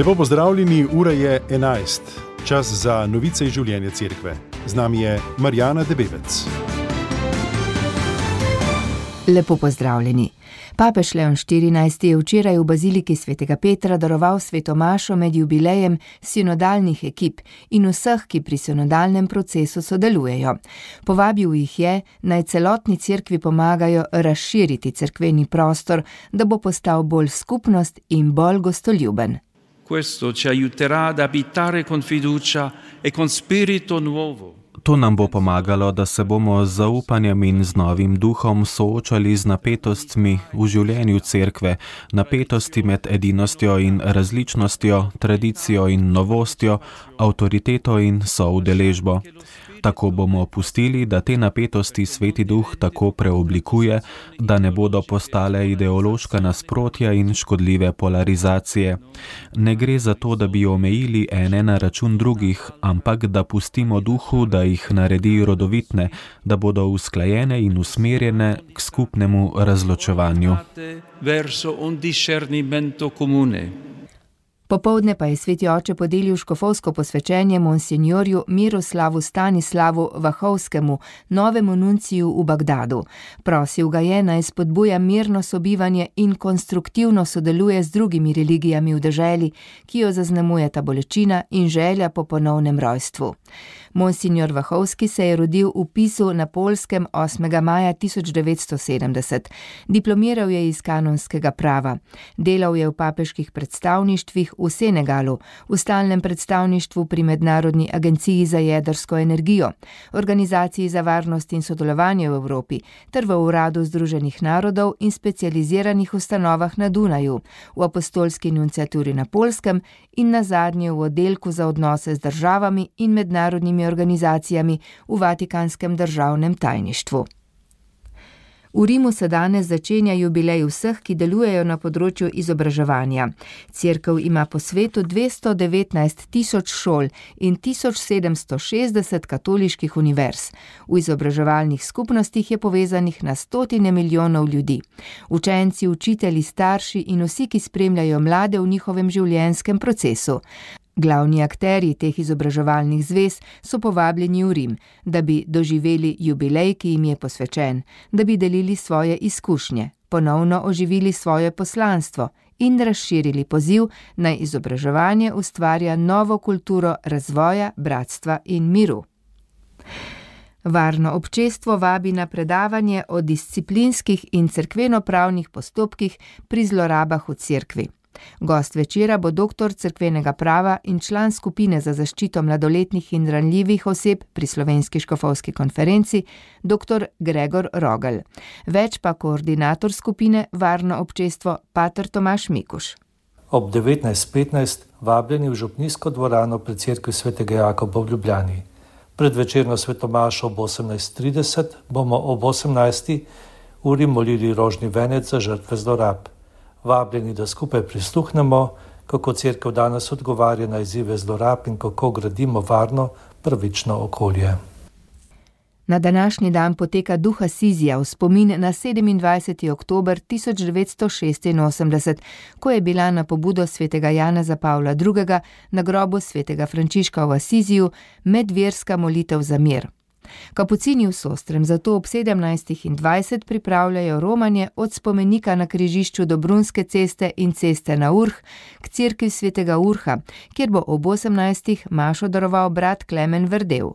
Lepo pozdravljeni, ura je 11. Čas za novice iz življenja cerkve. Z nami je Marjana Debevec. Lepo pozdravljeni. Papež Leon XIV je včeraj v baziliki svetega Petra daroval svetomašo med jubilejem sinodalnih ekip in vseh, ki pri sinodalnem procesu sodelujejo. Povabil jih je, naj celotni cerkvi pomagajo razširiti cerkveni prostor, da bo postal bolj skupnost in bolj gostoljuben. Questo ci aiuterà ad abitare con fiducia e con spirito nuovo. To nam bo pomagalo, da se bomo z zaupanjem in z novim duhom soočali z napetostmi v življenju cerkve, napetosti med edinostjo in različnostjo, tradicijo in novostjo, avtoriteto in soudeležbo. Tako bomo pustili, da te napetosti Sveti Duh tako preoblikuje, da ne bodo postale ideološka nasprotja in škodljive polarizacije. Ne gre za to, da bi omejili ene na račun drugih, ampak da pustimo Duhu, da jih naredi rodovitne, da bodo usklajene in usmerjene k skupnemu razločevanju. Popoldne pa je sveti oče podelil škofovsko posvečenje monsinjorju Miroslavu Stanislavu Vahovskemu, novemu nunciju v Bagdadu. Prosil ga je, naj spodbuja mirno sobivanje in konstruktivno sodeluje z drugimi religijami v deželi, ki jo zaznamujeta bolečina in želja po ponovnem rojstvu. Monsinjor Vahovski se je rodil v Pisu na Poljskem 8. maja 1970. Diplomiral je iz kanonskega prava. Delal je v papeških predstavništvih v Senegalu, v stalnem predstavništvu pri Mednarodni agenciji za jedrsko energijo, Organizaciji za varnost in sodelovanje v Evropi ter v Uradu Združenih narodov in specializiranih ustanovah na Dunaju, v apostolski nunciaturi na Poljskem in nazadnje v oddelku za odnose z državami in mednarodnimi organizacijami v Vatikanskem državnem tajništvu. V Rimu se danes začenja jubilej vseh, ki delujejo na področju izobraževanja. Cerkev ima po svetu 219 tisoč šol in 1760 katoliških univerz. V izobraževalnih skupnostih je povezanih na stotine milijonov ljudi. Učenci, učitelji, starši in vsi, ki spremljajo mlade v njihovem življenjskem procesu. Glavni akterji teh izobraževalnih zvez so povabljeni v Rim, da bi doživeli jubilej, ki jim je posvečen, da bi delili svoje izkušnje, ponovno oživili svoje poslanstvo in razširili poziv, naj izobraževanje ustvarja novo kulturo razvoja, bratstva in miru. Varno občestvo vabi na predavanje o disciplinskih in cerkvenopravnih postopkih pri zlorabah v cerkvi. Gost večera bo doktor cerkvenega prava in član skupine za zaščito mladoletnih in ranljivih oseb pri Slovenski škofovski konferenci, dr. Gregor Rogelj. Več pa koordinator skupine Varno občestvo, pater Tomaž Mikuš. Ob 19:15 vabljeni v župnijsko dvorano pri cerkvi svetega Jakoba v Ljubljani. Pred večerno svetomašo ob 18:30 bomo ob 18. uri molili rožni venec za žrtve zlorab. Vabljeni, da skupaj prisluhnemo, kako cerkev danes odgovarja na izzive zlorab in kako gradimo varno, pravično okolje. Na današnji dan poteka duh Asizija v spomin na 27. oktober 1986, ko je bila na pobudo svetega Janeza Pavla II. Na grobu svetega Frančiška v Asiziju medverska molitev za mir. Kapucini v Sostrem zato ob 17:20 pripravljajo romanje od spomenika na križišču do Brunske ceste in ceste na Urh k cerkvi svetega Urha, kjer bo ob 18. mašo daroval brat Klemen Verdev.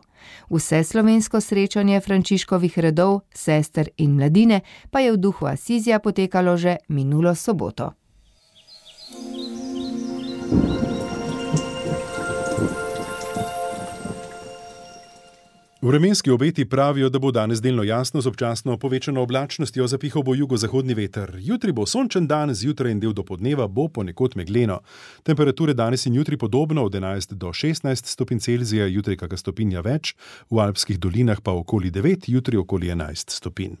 Vse slovensko srečanje Frančiškovih redov, sester in mladine pa je v duhu Asizija potekalo že minulo soboto. Vremenski obeti pravijo, da bo danes delno jasno z občasno povečano oblačnostjo, zapihal bo jugozahodni veter. Jutri bo sončen dan, zjutraj in del dopoldneva bo ponekod megleno. Temperature danes in jutri podobno od 11 do 16 stopinj Celzija, jutri kakšna stopinja več, v alpskih dolinah pa okoli 9, jutri okoli 11 stopinj.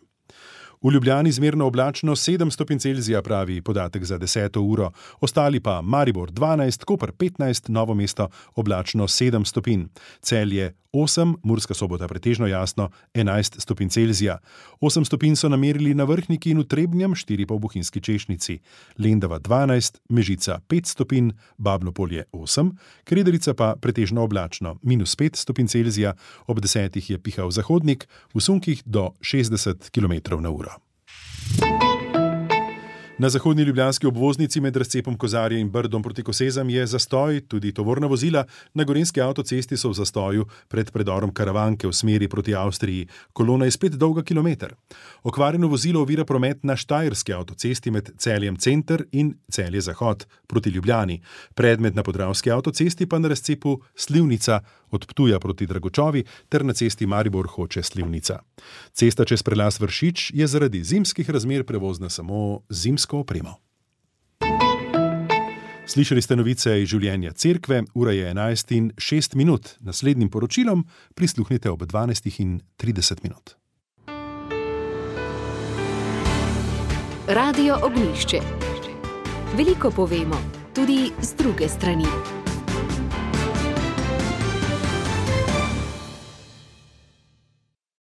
V Ljubljani zmerno oblačno 7 stopinj Celzija, pravi podatek za 10. uro. Ostali pa Maribor 12, Koper 15, Novo mesto oblačno 7 stopinj. Celje 8, Murska Sobota pretežno jasno 11 stopinj Celzija. 8 stopinj so namerili na Vrhniki in v Trebnjem, 4 pa v Bohinjski Češnici. Lendava 12, Mežica 5 stopinj, Babno Polje 8, Krederica pa pretežno oblačno, -5 stopinj Celzija, ob 10 je pihal zahodnik, v sunkih do 60 km/h. Na zahodni ljubljanski obvoznici med razcepom Kozarje in Brdom proti Kosezam je zastoj, tudi tovorna vozila na gorenjski avtocesti so v zastoju pred predorom Karavanke v smeri proti Avstriji. Kolona je spet dolga kilometer. Okvarjeno vozilo ovira promet na štajerski avtocesti med Celjem Center in Celje Zahod proti Ljubljani. Predmet na podravski avtocesti pa na razcepu Slivnica od Ptuja proti Dragočovi ter na cesti Maribor Hoče Slivnica. Cesta čez prelaz Vršič je zaradi zimskih razmer prevozna samo zimsko opremo. Slišali ste novice iz življenja cerkve, ura je 11:06. Naslednjim poročilom prisluhnite ob 12:30. Radio Ognjišče. Veliko povemo, tudi z druge strani.